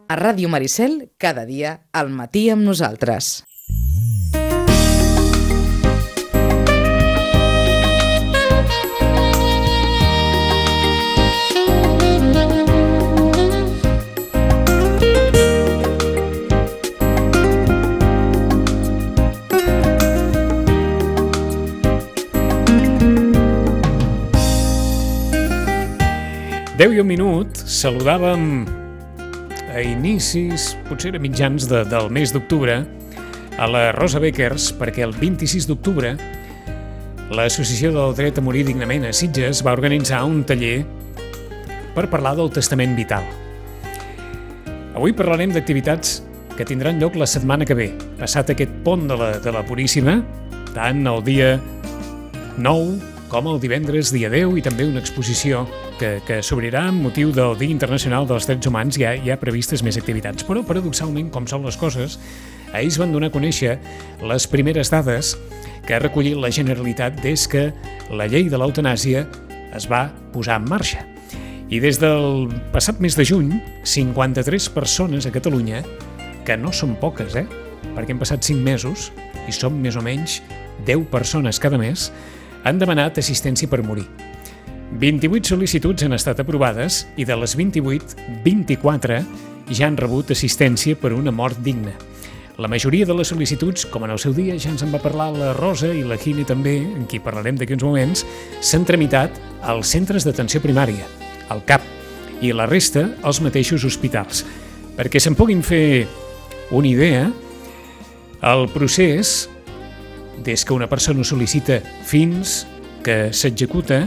A Ràdio Maricel, cada dia al matí amb nosaltres. Deu i un minut, saludàvem a inicis, potser a mitjans del mes d'octubre, a la Rosa Beckers, perquè el 26 d'octubre l'Associació del Dret a Morir Dignament a Sitges va organitzar un taller per parlar del testament vital. Avui parlarem d'activitats que tindran lloc la setmana que ve, passat aquest pont de la Puríssima, tant el dia 9 com el divendres dia 10, i també una exposició que s'obrirà amb motiu del Dia Internacional dels Drets Humans. Hi ha previstes més activitats, però paradoxalment, com són les coses, ells van donar a conèixer les primeres dades que ha recollit la Generalitat des que la llei de l'eutanàsia es va posar en marxa. I des del passat mes de juny, 53 persones a Catalunya, que no són poques, perquè hem passat 5 mesos i som més o menys 10 persones cada mes, han demanat assistència per morir. 28 sol·licituds han estat aprovades i de les 28, 24 ja han rebut assistència per una mort digna. La majoria de les sol·licituds, com en el seu dia ja ens en va parlar la Rosa i la Gine també, en qui parlarem d'aquí uns moments, s'han tramitat als centres d'atenció primària, al CAP, i la resta als mateixos hospitals. Perquè se'n puguin fer una idea, el procés, des que una persona sol·licita fins que s'executa,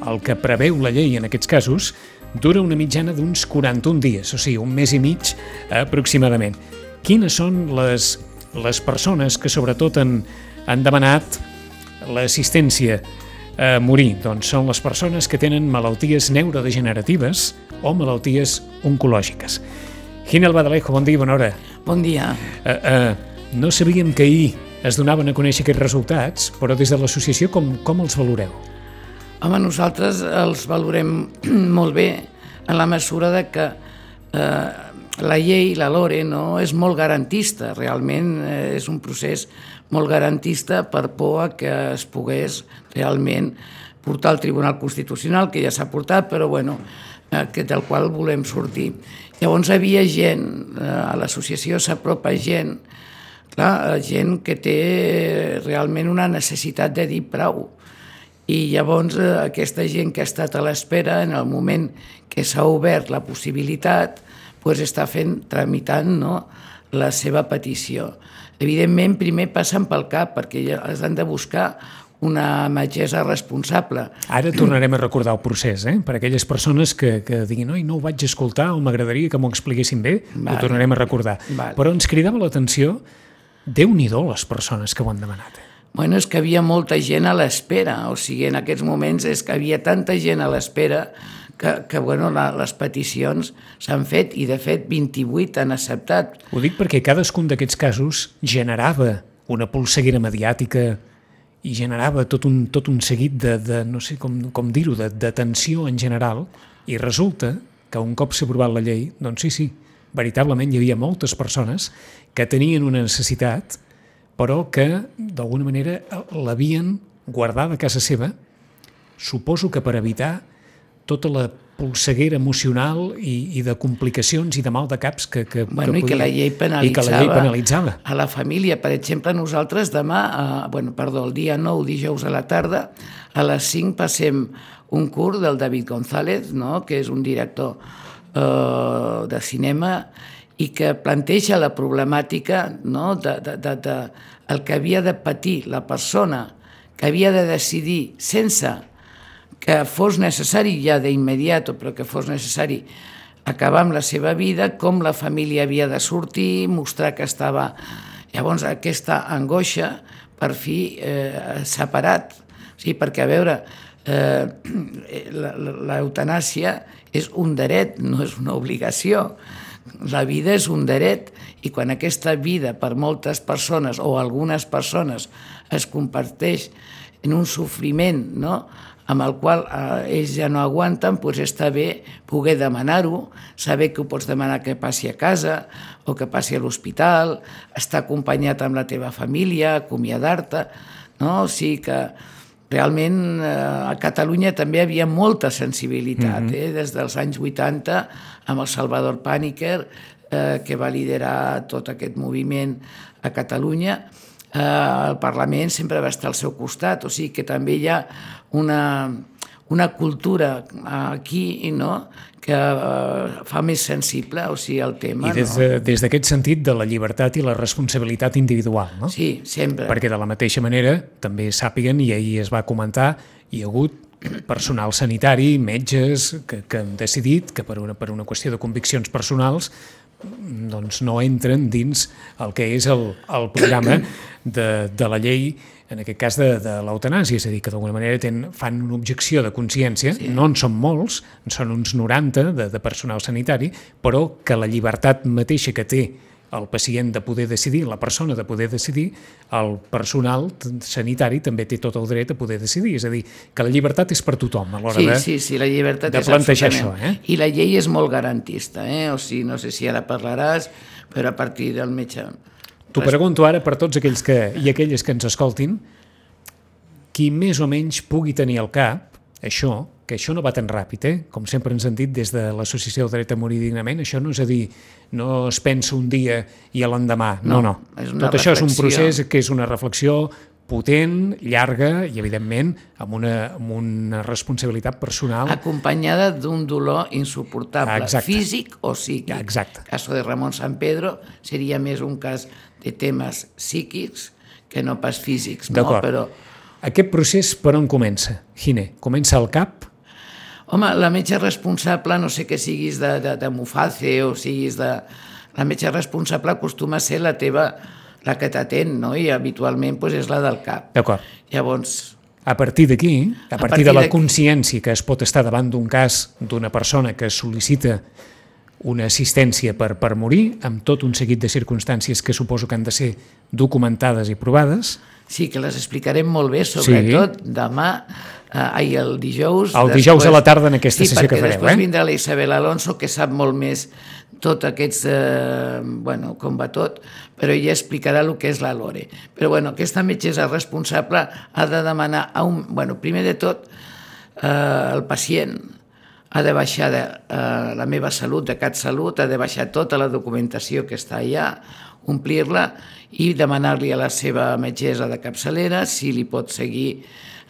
el que preveu la llei en aquests casos, dura una mitjana d'uns 41 dies, o sigui, un mes i mig aproximadament. Quines són les persones que sobretot han demanat l'assistència a morir? Doncs són les persones que tenen malalties neurodegeneratives o malalties oncològiques. Gine Albadalejo, bon dia, bona hora. Bon dia. No sabíem que ahir es donaven a conèixer aquests resultats, però des de l'associació com els valoreu? Home, nosaltres els valorem molt bé en la mesura de que la llei, la LORE, no és molt garantista. Realment és un procés molt garantista per por a que es pogués realment portar al Tribunal Constitucional, que ja s'ha portat, però bueno, del qual volem sortir. Llavors hi havia gent, a l'associació s'apropa gent, clar, gent que té realment una necessitat de dir prou. I llavors aquesta gent que ha estat a l'espera, en el moment que s'ha obert la possibilitat, està tramitant la seva petició. Evidentment, primer passen pel CAP, perquè ja han de buscar una metgessa responsable. Ara tornarem a recordar el procés, per aquelles persones que diguin «Oi, no ho vaig escoltar o m'agradaria que m'ho expliquessin bé», ho tornarem a recordar. Però ens cridava l'atenció, Déu-n'hi-do les persones que ho han demanat. Bueno, és que havia molta gent a l'espera, o sigui, en aquests moments és que havia tanta gent a l'espera que les peticions s'han fet i, de fet, 28 han acceptat. Ho dic perquè cadascun d'aquests casos generava una polseguera mediàtica i generava tot un seguit de no sé com dir-ho, de tensió en general, i resulta que un cop s'ha aprovat la llei, doncs sí, veritablement hi havia moltes persones que tenien una necessitat, però que d'alguna manera l'havien guardada a casa seva, suposo que per evitar tota la polseguera emocional i de complicacions i de mal de caps que i que la llei penalitzava a la família. Per exemple, nosaltres demà, el dia 9, dijous a la tarda, a les 5 passem un curs del David González, que és un director de cinema i que planteja la problemàtica el que havia de patir la persona, que havia de decidir sense que fos necessari ja d'immediat, però que fos necessari acabar amb la seva vida, com la família havia de sortir, mostrar que estava... Llavors, aquesta angoixa, per fi, separat. O sigui, perquè, a veure, l'eutanàsia és un dret, no és una obligació. La vida és un dret i quan aquesta vida per moltes persones o algunes persones es comparteix en un sofriment amb el qual ells ja no aguanten, doncs està bé poder demanar-ho, saber que ho pots demanar que passi a casa o que passi a l'hospital, estar acompanyat amb la teva família, acomiadar-te, no? O sigui que realment a Catalunya també hi havia molta sensibilitat, des dels anys 80 amb el Salvador Pàniker, que va liderar tot aquest moviment a Catalunya. El Parlament sempre va estar al seu costat, o sigui que també hi ha una cultura aquí, no?, que fa més sensible, o sigui, el tema. I des d'aquest sentit de la llibertat i la responsabilitat individual, no? Sí, sempre. Perquè de la mateixa manera també sàpiguen, i ahir es va comentar, hi ha hagut personal sanitari, metges, que han decidit que per una qüestió de conviccions personals doncs no entren dins el que és el programa de la llei, en aquest cas de l'eutanàsia, és a dir, que d'alguna manera fan una objecció de consciència, no en són molts, en són uns 90 de personal sanitari, però que la llibertat mateixa que té el pacient de poder decidir, la persona de poder decidir, el personal sanitari també té tot el dret a poder decidir. És a dir, que la llibertat és per tothom a l'hora la llibertat de plantejar això. I la llei és molt garantista, o sigui, no sé si ara parlaràs, però a partir del metge... T'ho pregunto ara per tots aquells i aquelles que ens escoltin, qui més o menys pugui tenir al cap això, que això no va tan ràpid, com sempre ens han dit des de l'Associació del Dret a Morir Dignament, això no és a dir, no es pensa un dia i a l'endemà, no. Tot això és un procés que és una reflexió potent, llarga i, evidentment, amb una responsabilitat personal. Acompanyada d'un dolor insuportable, físic o psíquic. Exacte. El cas de Ramon Sampedro seria més un cas de temes psíquics que no pas físics. D'acord. Però... Aquest procés per on comença, Gine? Comença al cap? Home, la metge responsable, no sé que siguis de Muface o siguis de... La metge responsable acostuma a ser la que t'atén, no? I habitualment és la del cap. D'acord. Llavors... A partir d'aquí, a partir de la consciència que es pot estar davant d'un cas d'una persona que sol·licita una assistència per morir, amb tot un seguit de circumstàncies que suposo que han de ser documentades i provades. Sí, que les explicarem molt bé, sobretot demà, el dijous. El dijous a la tarda en aquesta sessió que fareu. Sí, perquè després vindrà la Isabel Alonso, que sap molt més tot aquests... com va tot, però ella explicarà el que és la LORE. Però aquesta metgessa responsable ha de demanar primer de tot, el pacient ha de baixar la meva salut, de CatSalut, ha de baixar tota la documentació que està allà, omplir-la i demanar-li a la seva metgessa de capçalera si li pot seguir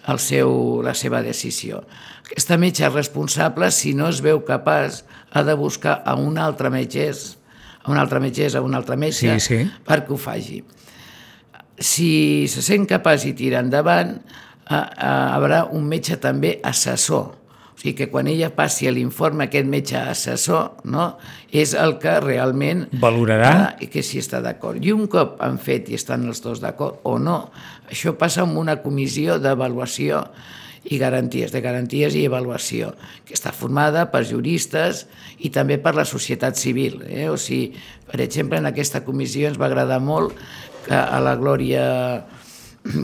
la seva decisió. Aquesta metge responsable, si no es veu capaç, ha de buscar a un altre metgessa, un altre metge, perquè ho faci. Si se sent capaç i tira endavant, hi haurà un metge també assessor. O sigui que quan ella passi l'informe, aquest metge assessor, no, és el que realment valorarà que si està d'acord. I un cop han fet i estan els dos d'acord o no, això passa amb una comissió d'avaluació i garanties i avaluació, que està formada per juristes i també per la societat civil. O sigui, per exemple, en aquesta comissió ens va agradar molt que a la Glòria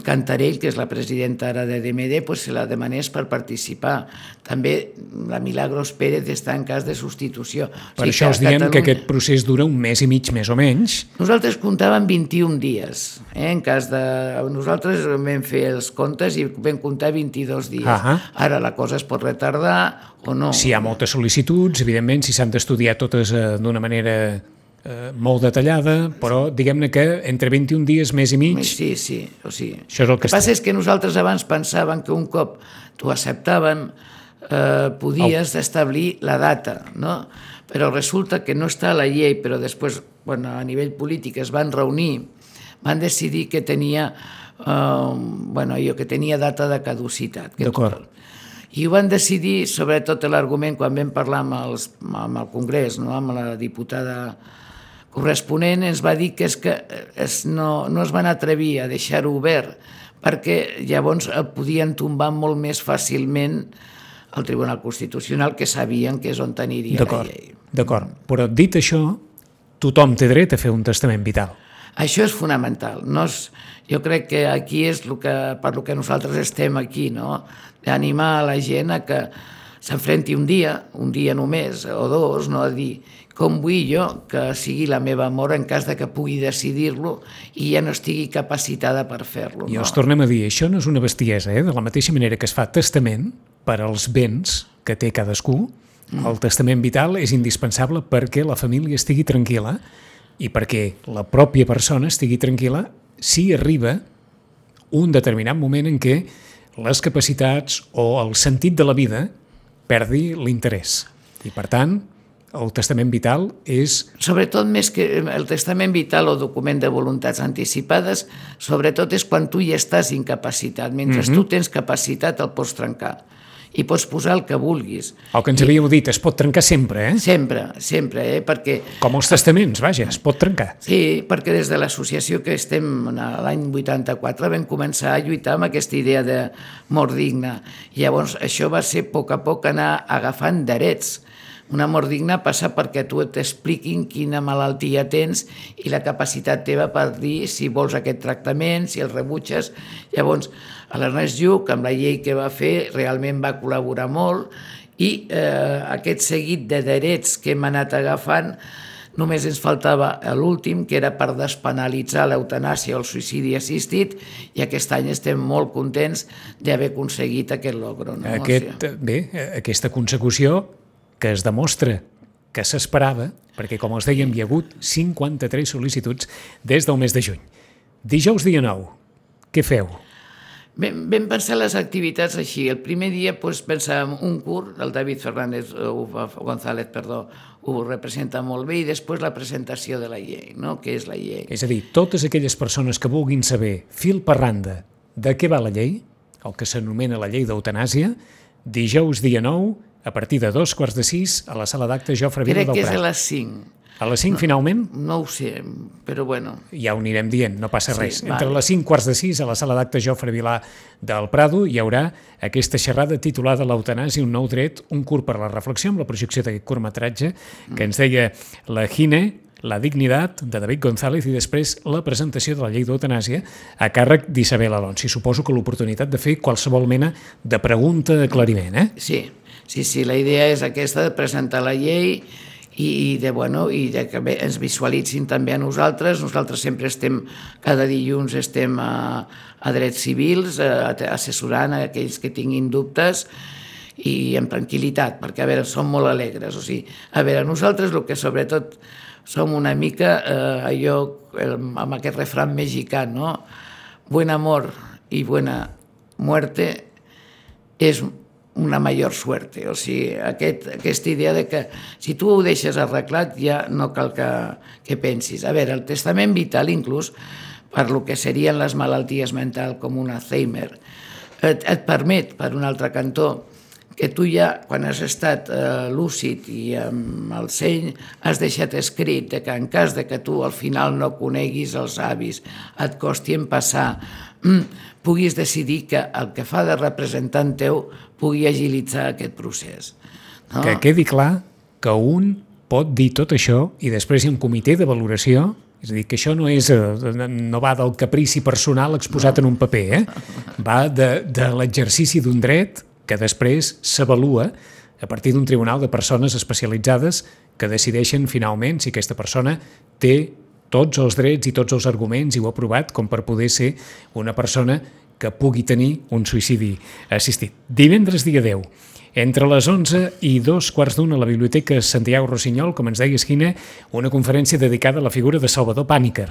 Cantarell, que és la presidenta ara de DMD, se la demanés per participar. També la Milagros Pérez està en cas de substitució. Per això us diem que aquest procés dura un mes i mig, més o menys. Nosaltres comptàvem 21 dies. En cas de... Nosaltres vam fer els comptes i vam comptar 22 dies. Ara la cosa es pot retardar o no. Si hi ha moltes sol·licituds, evidentment, si s'han d'estudiar totes d'una manera... molt detallada, però diguem-ne que entre 21 dies, mes i mig... Sí, o sigui... Això és el que passa és que nosaltres abans pensàvem que un cop t'ho acceptaven podies establir la data, no? Però resulta que no està a la llei, però després, a nivell polític es van reunir, van decidir que tenia data de caducitat. D'acord. I ho van decidir, sobretot l'argument, quan vam parlar amb el Congrés, amb la diputada corresponent, ens va dir que no es van atrevir a deixar-ho obert perquè llavors podien tombar molt més fàcilment el Tribunal Constitucional, que sabien que és on aniria la llei. D'acord, però dit això, tothom té dret a fer un testament vital. Això és fonamental. Jo crec que aquí és per lo que nosaltres estem aquí, no? D'animar a la gent a que s'enfrenti un dia només, o dos, no? A dir, com vull jo que sigui la meva mort en cas de que pugui decidir-lo i ja no estigui capacitada per fer-lo. I els tornem a dir, això no és una bestiesa, de la mateixa manera que es fa testament per als béns que té cadascú, el testament vital és indispensable perquè la família estigui tranquil·la i perquè la pròpia persona estigui tranquil·la si arriba un determinat moment en què les capacitats o el sentit de la vida perdi l'interès. I, per tant, el testament vital és... Sobretot, més que el testament vital o document de voluntats anticipades, sobretot és quan tu ja estàs incapacitat. Mentre tu tens capacitat el pots trencar i pots posar el que vulguis. El que ens havíeu dit, es pot trencar sempre, Sempre, perquè... Com els testaments, vaja, es pot trencar. Sí, perquè des de l'associació que estem l'any 84 vam començar a lluitar amb aquesta idea de mort digna. Llavors, això va ser a poc anar agafant drets. Una mort digna passa perquè tu t'expliquin quina malaltia tens i la capacitat teva per dir si vols aquest tractament, si el rebutges. Llavors, l'Ernest Lluch, amb la llei que va fer, realment va col·laborar molt i aquest seguit de drets que hem anat agafant, només ens faltava l'últim, que era per despenalitzar l'eutanàsia o el suïcidi assistit, i aquest any estem molt contents d'haver aconseguit aquest logro. No? Aquesta consecució que es demostra que s'esperava, perquè, com els dèiem, hi ha hagut 53 sol·licituds des del mes de juny. Dijous dia 9, què feu? Vam pensar les activitats així. El primer dia pensàvem un curt, el David González ho representa molt bé, i després la presentació de la llei, no? Què és la llei? És a dir, totes aquelles persones que vulguin saber fil per randa de què va la llei, el que s'anomena la llei d'eutanàsia, dijous dia 9, a partir de 2:45 a la sala d'actes Jofre Vila del Prat. Crec que és a les 5. A les 5, finalment? No ho sé, però bueno. Ja ho anirem dient, no passa res. Entre les 5:45 a la sala d'actes Jofre Vilà del Prado hi haurà aquesta xerrada titulada L'eutanàsia, un nou dret, un curt per a la reflexió, amb la projecció d'aquest curtmetratge que ens deia la Gine, La dignitat, de David González, i després la presentació de la llei d'eutanàsia a càrrec d'Isabel Alonso. I suposo que l'oportunitat de fer qualsevol mena de pregunta d'aclariment, Sí, la idea és aquesta, de presentar la llei i de que ens visualitzin també a nosaltres. Nosaltres sempre cada dilluns estem a drets civils, assessorant a aquells que tinguin dubtes i amb tranquil·litat, perquè, som molt alegres. Nosaltres el que sobretot som una mica amb aquest refrán mexicà, no? Buen amor y buena muerte és una major suerte. Aquesta idea de que si tu ho deixes arreglat ja no cal que pensis. El testament vital, inclús per lo que serien les malalties mentals com un Alzheimer, et permet, per un altre cantó, que tu ja, quan has estat lúcid i amb el seny, has deixat escrit que en cas de que tu al final no coneguis els avis, et costi en passar, puguis decidir que el que fa de representant teu pugui agilitzar aquest procés. No? Que quedi clar que un pot dir tot això i després hi ha un comitè de valoració, és a dir, que això no va del caprici personal exposat en un paper, va de l'exercici d'un dret que després s'avalua a partir d'un tribunal de persones especialitzades que decideixen finalment si aquesta persona té tots els drets i tots els arguments i ho ha provat com per poder ser una persona que pugui tenir un suïcidi assistit. Divendres dia 10, entre les 11 i 2:15 a la Biblioteca Santiago Rossinyol, com ens deia Esquina, una conferència dedicada a la figura de Salvador Pàniker.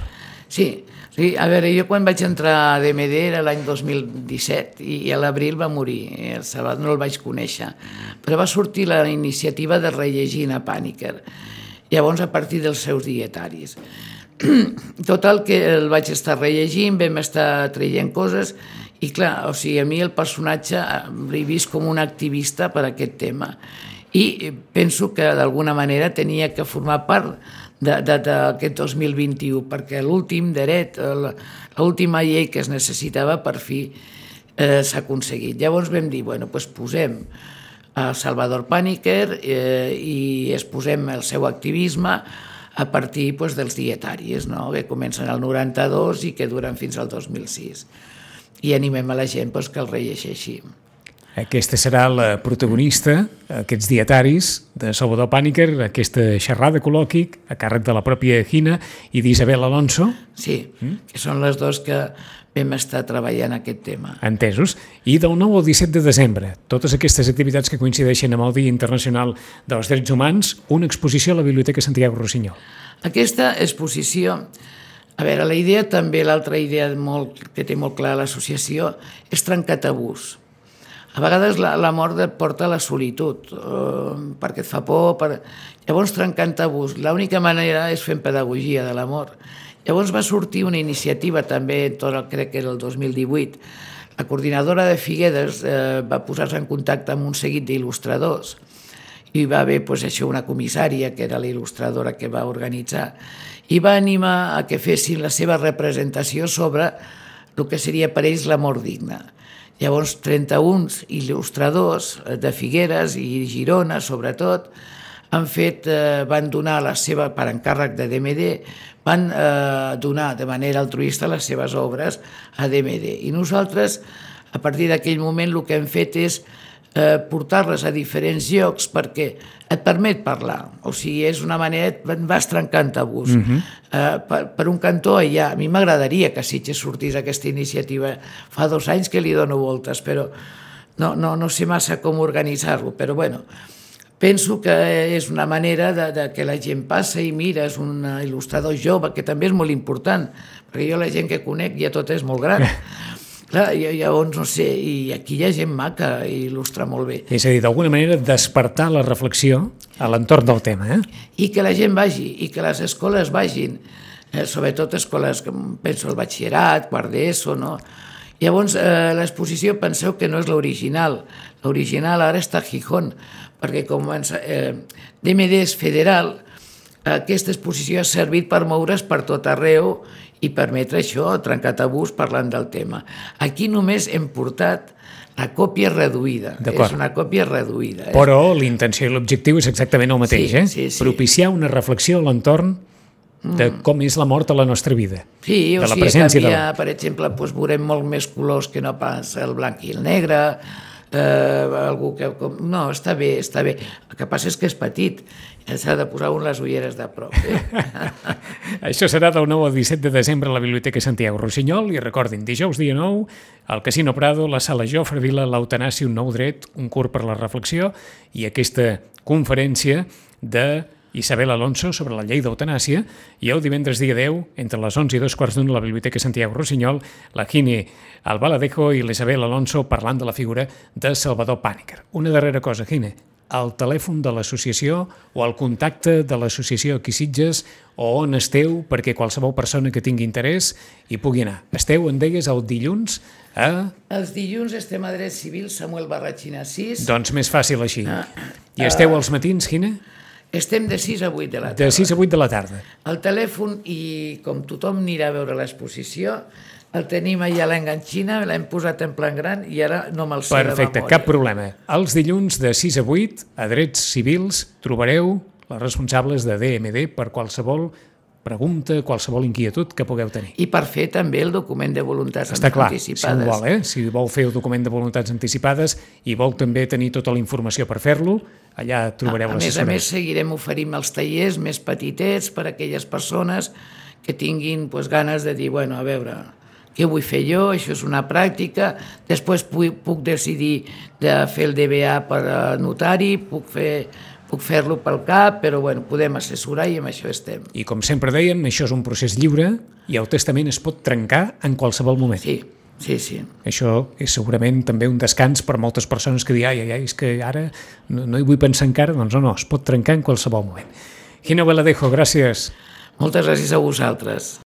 Sí, jo quan vaig entrar a DMD era l'any 2017 i a l'abril va morir, el Salvador no el vaig conèixer, però va sortir la iniciativa de rellegir a Pàniker, llavors a partir dels seus dietaris. Total, que el vaig estar rellegint, vam estar traient coses i clar, a mi el personatge l'he vist com un activista per aquest tema i penso que d'alguna manera tenia que formar part d'aquest 2021 perquè l'últim dret, l'última llei que es necessitava per fi s'ha aconseguit. Llavors vam dir, posem a Salvador Pàniker i exposem el seu activisme a partir dels dietaris, no? Que comencen al 92 i que duren fins al 2006. I animem a la gent que el rellegeixi. Aquesta serà la protagonista, aquests dietaris de Salvador Pàniker, aquesta xerrada col·loqui a càrrec de la pròpia Gina i d'Isabel Alonso. Sí, que són les dos que vam estar treballant aquest tema. Entesos. I del 9 al 17 de desembre, totes aquestes activitats que coincideixen amb el Dia Internacional dels Drets Humans, una exposició a la Biblioteca Santiago Rossinyol. Aquesta exposició, a veure, la idea també, l'altra idea que té molt clar l'associació, és trencar tabús. A vegades la mort et porta a la solitud, perquè et fa por. Llavors, trencant tabús, l'única manera és fent pedagogia de la mort. Llavors va sortir una iniciativa també, crec que era el 2018, la coordinadora de Figueres va posar-se en contacte amb un seguit d'il·lustradors i va haver una comissària, que era la il·lustradora que va organitzar, i va animar a que fessin la seva representació sobre el que seria per ells la mort digna. Llavors, 31 il·lustradors de Figueres i Girona, sobretot, van donar per encàrrec de DMD, van donar de manera altruista les seves obres a DMD. I nosaltres, a partir d'aquell moment, el que hem fet és portar-les a diferents llocs perquè et permet parlar. O sigui, és una manera, vas trencant tabús. Per un cantó, a mi m'agradaria que Sitges sortís aquesta iniciativa. Fa 2 anys que li dono voltes, però no sé massa com organitzar-lo. Però bueno, penso que és una manera que la gent passa i mira, és un il·lustrador jove, que també és molt important, perquè jo la gent que conec ja tot és molt gran. Clar, llavors, no sé, i aquí hi ha gent maca i il·lustra molt bé. És a dir, d'alguna manera despertar la reflexió a l'entorn del tema, I que la gent vagi, i que les escoles vagin, sobretot escoles, penso el batxillerat, quart d'ESO, no? Llavors, l'exposició, penseu que no és l'original. L'original ara està a Gijón, perquè com DMD és federal, aquesta exposició ha servit per moure's per tot arreu i permetre això, trencar tabús parlant del tema. Aquí només hem portat la còpia reduïda. És una còpia reduïda. Però l'intenció i l'objectiu és exactament el mateix, propiciar una reflexió a l'entorn de com és la mort a la nostra vida. Sí, o sigui, canviar, per exemple, veurem molt més colors que no pas el blanc i el negre, algú que... No, està bé. El que passa és que és petit. S'ha de posar les ulleres de prop. Això serà del 9 al 17 de desembre a la Biblioteca Santiago Rossinyol i recordin, dijous dia 9, al Casino Prado, la sala Jofre Vila, l'eutanàsia, un nou dret, un curt per la reflexió i aquesta conferència de Isabel Alonso sobre la llei d'eutanàsia i el divendres dia 10, entre les 11 i 2:15 a la Biblioteca Santiago Rossinyol, la Gine Albaladejo i l'Isabel Alonso parlant de la figura de Salvador Pàniker. Una darrera cosa, Gine, el telèfon de l'associació o el contacte de l'associació aquí Sitges o on esteu perquè qualsevol persona que tingui interès hi pugui anar. Esteu, en deies, el dilluns a... Els dilluns estem a Dret Civil, Samuel Barratxina 6. Doncs més fàcil així. I esteu als matins, Gine? Estem de 6 a 8 de la tarda. De 6 a 8 de la tarda. El telèfon, i com tothom anirà a veure l'exposició, el tenim allà a l'enganxina, l'hem posat en plan gran i ara no me'l sé de memòria. Perfecte, cap problema. Els dilluns de 6 a 8, a Drets Civils, trobareu les responsables de DMD per qualsevol pregunta, qualsevol inquietud que pugueu tenir. I per fer també el document de voluntats anticipades. Està clar, anticipades. si vol, si vol fer el document de voluntats anticipades i vol també tenir tota la informació per fer-lo, allà trobareu l'assessorament. A més, seguirem oferint els tallers més petitets per a aquelles persones que tinguin ganes de dir, bueno, a veure, què vull fer jo? Això és una pràctica. Després puc decidir de fer el DBA per notari, puc fer-lo pel CAP, però bueno, podem assessorar i amb això estem. I com sempre dèiem, això és un procés lliure i el testament es pot trencar en qualsevol moment. Sí. Això és segurament també un descans per moltes persones que diuen ai, és que ara no hi vull pensar encara. Doncs no, es pot trencar en qualsevol moment. Gina Albaladejo, gràcies. Moltes gràcies a vosaltres.